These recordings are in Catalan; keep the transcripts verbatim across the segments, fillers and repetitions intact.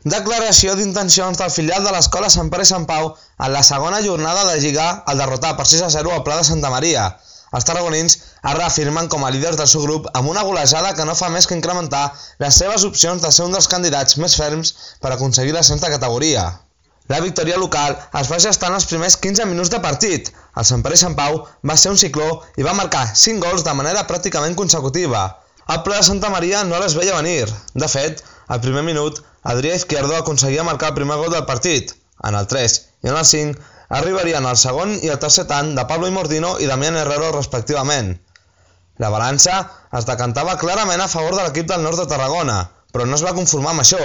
Declaració d'intencions del filial de l'escola Sant Pere i Sant Pau en la segona jornada de Lliga al derrotar per sis a zero al Pla de Santa Maria. Els tarragonins es reafirmen com a líders del seu grup amb una golejada que no fa més que incrementar les seves opcions de ser un dels candidats més ferms per aconseguir l'ascens de categoria. La victòria local es va gestar en els primers quinze minuts de partit. El Sant Pere i Sant Pau va ser un cicló i va marcar cinc gols de manera pràcticament consecutiva. El Pla de Santa Maria no les veia venir. De fet, al primer minut, Adrià Izquierdo aconseguia marcar el primer gol del partit. En el tres i en el cinc arribarien el segon i el tercer tant de Pablo Imordino i Damián Herrero respectivament. La balança es decantava clarament a favor de l'equip del nord de Tarragona, però no es va conformar amb això.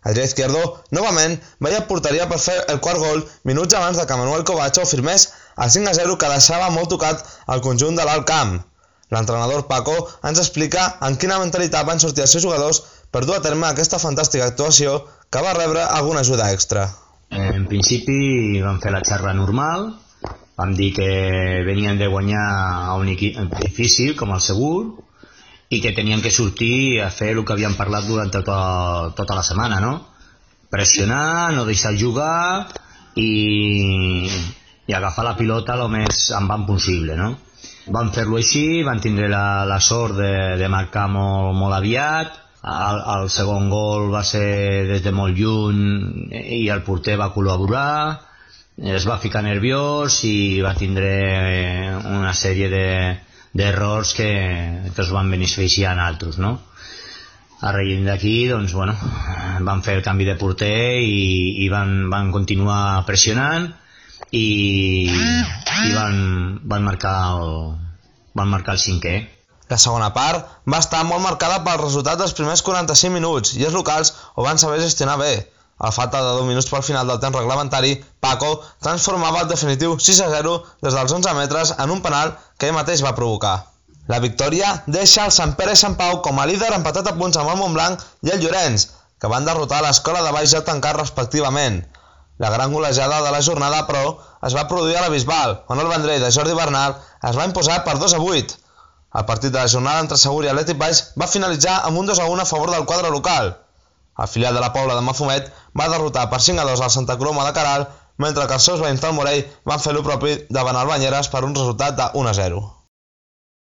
Adrià Izquierdo, novament, veia porteria per fer el quart gol minuts abans de que Manuel Covacho firmés el cinc a zero que deixava molt tocat el conjunt de l'Alt Camp. L'entrenador Paco ens explica en quina mentalitat van sortir els seus jugadors per dur a terme aquesta fantàstica actuació que va rebre alguna ajuda extra. En principi vam fer la xarra normal, vam dir que venien de guanyar a un equip difícil com el Segur i que tenien que sortir a fer el que havíem parlat durant tota, tota la setmana, no? Pressionar, no deixar jugar i, i agafar la pilota el més en van possible, no? Vam fer-lo així, vam tindre la, la sort de, de marcar molt, molt aviat. El, el segon gol va ser des de molt lluny i el porter va col·laborar, es va ficar nerviós i va tindre una sèrie d'errors de, que, que es van beneficiar en altres, no? A raïm d'aquí, doncs, bueno, van fer el canvi de porter i, i van, van continuar pressionant i, i van, van, marcar el, van marcar el cinquè. La segona part va estar molt marcada pel resultat dels primers quaranta-cinc minuts i els locals ho van saber gestionar bé. A falta de deu minuts pel final del temps reglamentari, Paco transformava el definitiu sis a zero des dels onze metres en un penal que ell mateix va provocar. La victòria deixa el Sant Pere i Sant Pau com a líder empatat a punts amb el Montblanc i el Llorenç, que van derrotar l'escola de Baix Jalp tancat respectivament. La gran golejada de la jornada, però, es va produir a la Bisbal, on el Vendrell de Jordi Bernal es va imposar per dos a vuit. El partit de la jornada entre Segur i Atlètic Baix va finalitzar amb un dos a un a favor del quadre local. El filial de la Pobla de Mafumet va derrotar per cinc a dos al Santa Coloma de Queralt, mentre que els seus veïns del Morell van fer lo propi davant el Banyeres per un resultat de un a zero.